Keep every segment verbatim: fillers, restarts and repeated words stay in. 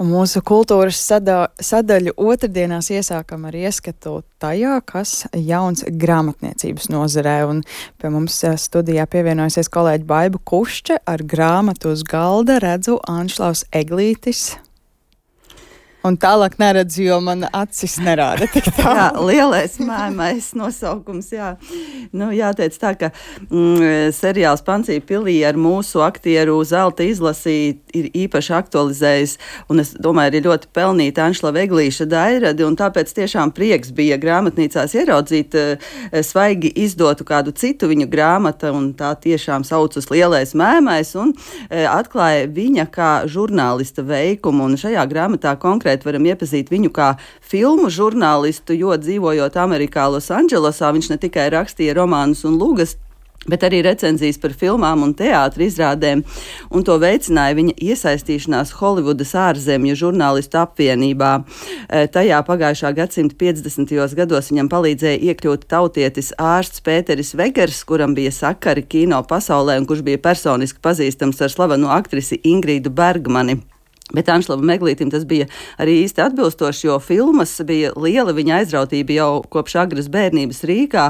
Un mūsu kultūras sada, sadaļu otrdienās iesākam ar ieskatu tajā, kas jauns grāmatniecības nozarē. Un pie mums studijā pievienojusies kolēģi Baiba Kušče ar grāmatu uz galda redzu Anšlaus Eglītis. Un tālāk neredzu, jo man acis nerāda tik tā. Jā, lielais mēmais nosaukums, jā. Nu, jāteic tā, ka mm, seriāls Pancī pilī ar mūsu aktieru zelta izlasi ir īpaši aktualizējis, un es domāju, ir ļoti pelnīta Anšlava Eglīša dairadi, un tāpēc tiešām prieks bija grāmatnīcās ieraudzīt svaigi izdotu kādu citu viņu grāmata, un tā tiešām saucas Lielais mēmais, un atklāja viņa kā žurnālista veikumu, un šajā grāmatā konkrēti varam iepazīt viņu kā filmu žurnālistu, jo dzīvojot Amerikā Losandželosā, viņš ne tikai rakstīja romānus un lugas, bet arī recenzijas par filmām un teātra izrādēm, un to veicināja viņa iesaistīšanās Holivudas ārzemju žurnālistu apvienībā. Tajā pagājušā gadsimta piecdesmitajos gados viņam palīdzēja iekļūt tautietis ārsts Pēteris Vegers, kuram bija sakari kino pasaulē un kurš bija personiski pazīstams ar slavenu aktrisi Ingrīdu Bergmani. Bet Anšlavam Eglītim tas bija arī īsti atbilstoši, jo filmas bija liela viņa aizrautība jau kopš agras bērnības Rīgā,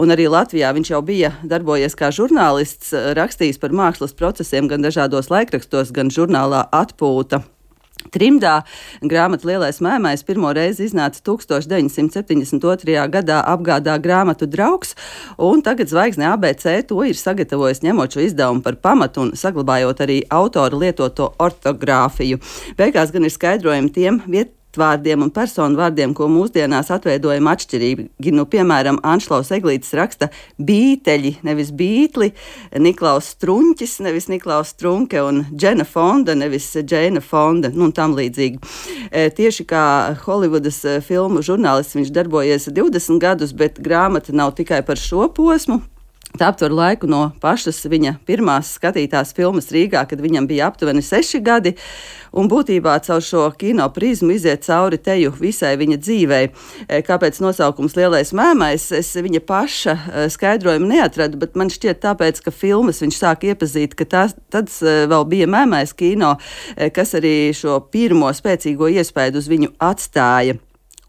un arī Latvijā viņš jau bija darbojies kā žurnālists, rakstījis par mākslas procesiem gan dažādos laikrakstos, gan žurnālā Atpūta. Trimdā grāmata Lielais mēmais pirmo reizi iznāca tūkstoš deviņsimt septiņdesmit otrajā gadā apgādā grāmatu Draugs, un tagad Zvaigzne A B C to ir sagatavojis ņemot šo izdevumu par pamatu un saglabājot arī autora lietoto ortogrāfiju. Beigās gan ir skaidrojumi tiem viet vārdiem un personu vārdiem, ko mūsdienās atveidojam atšķirīgi. Nu, piemēram, Anšlaus Eglītis raksta bīteļi, nevis bītli, Niklaus Struņķis, nevis Niklaus Strunke, un Džena Fonda, nevis Džēna Fonda, nu, un tam līdzīgi. E, tieši kā Holivudas filmu žurnālists viņš darbojies divdesmit gadus, bet grāmata nav tikai par šo posmu. Tā aptver laiku no pašas viņa pirmās skatītās filmas Rīgā, kad viņam bija aptuveni seši gadi, un būtībā caur šo kino prizmu iziet cauri teju visai viņa dzīvei. Kāpēc nosaukums Lielais mēmais? Es viņa paša skaidrojumu neatradu, bet man šķiet tāpēc, ka filmas viņš sāk iepazīt, ka tās, tad vēl bija mēmais kino, kas arī šo pirmo spēcīgo iespaidu uz viņu atstāja.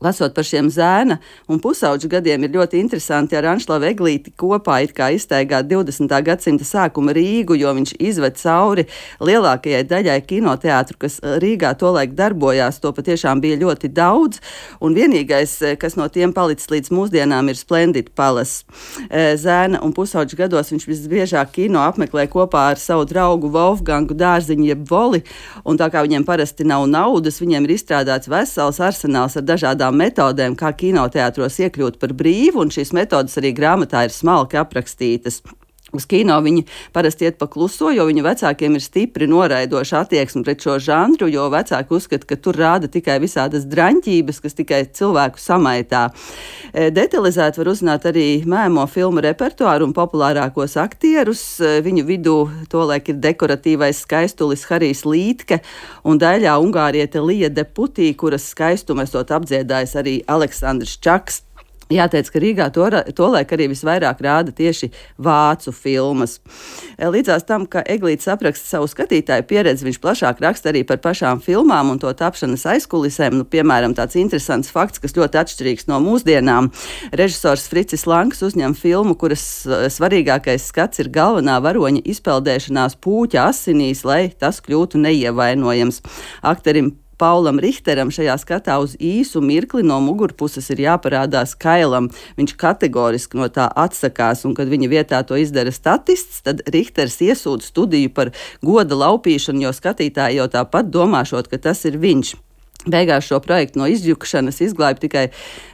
Lasot par šiem zēna un pusauģu gadiem, ir ļoti interesanti ar Anšlavu Eglīti kopā it kā iztaigāt divdesmitā gadsimta sākuma Rīgu, jo viņš izved cauri lielākajai daļai kinoteātru, kas Rīgā tolaik darbojās. To patiešām bija ļoti daudz, un vienīgais, kas no tiem palicis līdz mūsdienām, ir Splendid Palace. Zēna un pusauģu gados viņš visbiežāk kino apmeklē kopā ar savu draugu Wolfgangu Dārziņu jeb Voli, un tā kā viņiem parasti nav naudas, viņiem ir izstrādāts vesels arsenāls ar dažādām metodēm, kā kinoteātros iekļūt par brīvu, un šīs metodas arī grāmatā ir smalki aprakstītas. Uz kino viņi parasti iet pa kluso, jo viņu vecākiem ir stipri noraidoša attieksme pret šo žanru, jo vecāki uzskata, ka tur rāda tikai visādas draņķības, kas tikai cilvēku samaitā. Detalizēt var uzzināt arī mēmo filmu repertuāru un populārākos aktierus. Viņu vidū tolaik ir dekoratīvais skaistulis Harijs Lītke un daļā ungāriete Lija Deputī, kuras skaistumu esot apdziedājis arī Aleksandrs Čaks. Jāteic, ka Rīgā to, tolaik arī visvairāk rāda tieši vācu filmas. Līdzās tam, ka Eglītis apraksta savu skatītāju pieredzi, viņš plašāk raksta arī par pašām filmām un to tapšanas aizkulisēm. Nu, piemēram, tāds interesants fakts, kas ļoti atšķirīgs no mūsdienām. Režisors Fricis Lanks uzņem filmu, kuras svarīgākais skats ir galvenā varoņa izpeldēšanās pūķa asinīs, lai tas kļūtu neievainojams. Akterim Paulam Richteram šajā skatā uz īsu mirkli no mugurpuses ir jāparādās kailam. Viņš kategoriski no tā atsakās, un kad viņa vietā to izdara statists, tad Richters iesūdz studiju par goda laupīšanu, jo skatītāji jau tāpat domāšot, ka tas ir viņš. Beigās šo projektu no izjukšanas izglāba tikai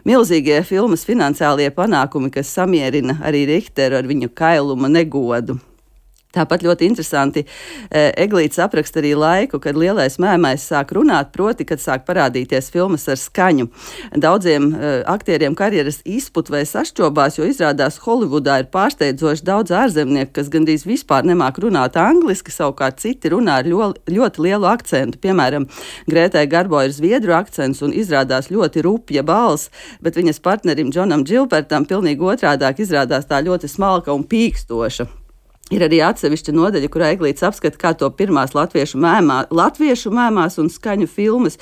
milzīgie filmas finansiālie panākumi, kas samierina arī Richteru ar viņu kailuma negodu. Tāpat ļoti interesanti Eglītis apraksta arī laiku, kad Lielais mēmais sāk runāt, proti, kad sāk parādīties filmas ar skaņu. Daudziem aktieriem karjeras izput vai sašķobās, jo izrādās Holivudā ir pārsteidzoši daudz ārzemnieku, kas gandrīz vispār nemāk runāt angliski, savukārt citi runā ar ļoti, ļoti lielu akcentu. Piemēram, Grētai Garbo ir zviedru akcents un izrādās ļoti rupja balss, bet viņas partnerim Džonam Džilbertam pilnīgi otrādāk izrādās tā ļoti smalka un pīkstoša. Ir arī atsevišķa nodaļa, kurā Eglītis apskata, kā to pirmās latviešu, mēmā, latviešu mēmās un skaņu filmas.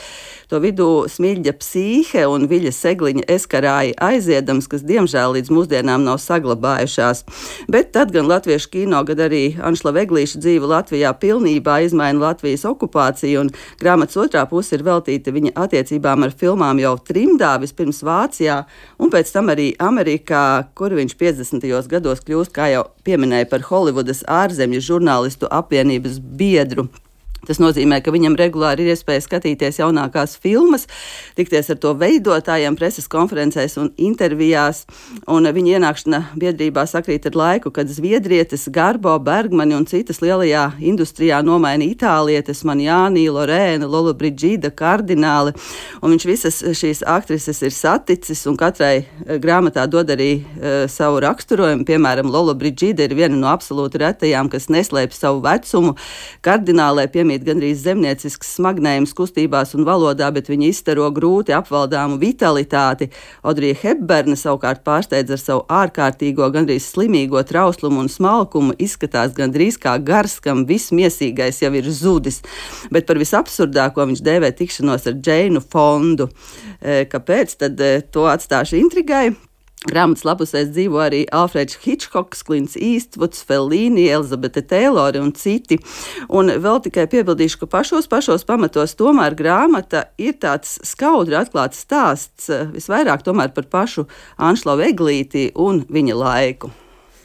To vidū Smiļģa psīhe un Viļa Segliņa eskarāja aiziedams, kas diemžēl līdz mūsdienām nav saglabājušās. Bet tad gan latviešu kino, gan arī Anšlava Eglīša dzīve Latvijā pilnībā izmaina Latvijas okupāciju, un grāmatas otrā puse ir veltīta viņa attiecībām ar filmām jau trimdā, vispirms Vācijā, un pēc tam arī Amerikā, kur viņš piecdesmitajos gados kļūst, kā jau pieminēja, par Holivudas ārzemju žurnālistu apvienības biedru. Tas nozīmē, ka viņam regulāri ir iespēja skatīties jaunākās filmas, tikties ar to veidotājiem preses konferencēs un intervijās, un viņa ienākšana biedrībā sakrīt ar laiku, kad zviedrietes Garbo, Bergmani un citas lielajā industrijā nomaina itālietes Manjāni, Lorēna, Lollobrigida, Kardināli, un viņš visas šīs aktrises ir saticis, un katrai grāmatā dod arī uh, savu raksturojumu. Piemēram, Lollobrigida ir viena no absolūti retajām, kas neslēpj savu vecumu. Kardinālē piemīt gandrīz zemniecisks smagnējums kustībās un valodā, bet viņa izstaro grūti apvaldāmu vitalitāti. Audrija Hepburna savukārt pārsteidz ar savu ārkārtīgo, gandrīz slimīgo trauslumu un smalkumu, izskatās gandrīz kā gars, kam viss miesīgais jau ir zudis. Bet par visabsurdāko viņš dēvē tikšanos ar Džeinu Fondu. Kāpēc? Tad to atstāšu intrigai. Grāmatas lapusēs dzīvo arī Alfreds Hitchcocks, Klints Īstvuds, Fellīni, Elizabete Teilore un citi. Un vēl tikai piebildīšu, ka pašos pašos pamatos tomēr grāmata ir tāds skaudri atklāts stāsts, visvairāk tomēr par pašu Anšlavu Eglīti un viņa laiku.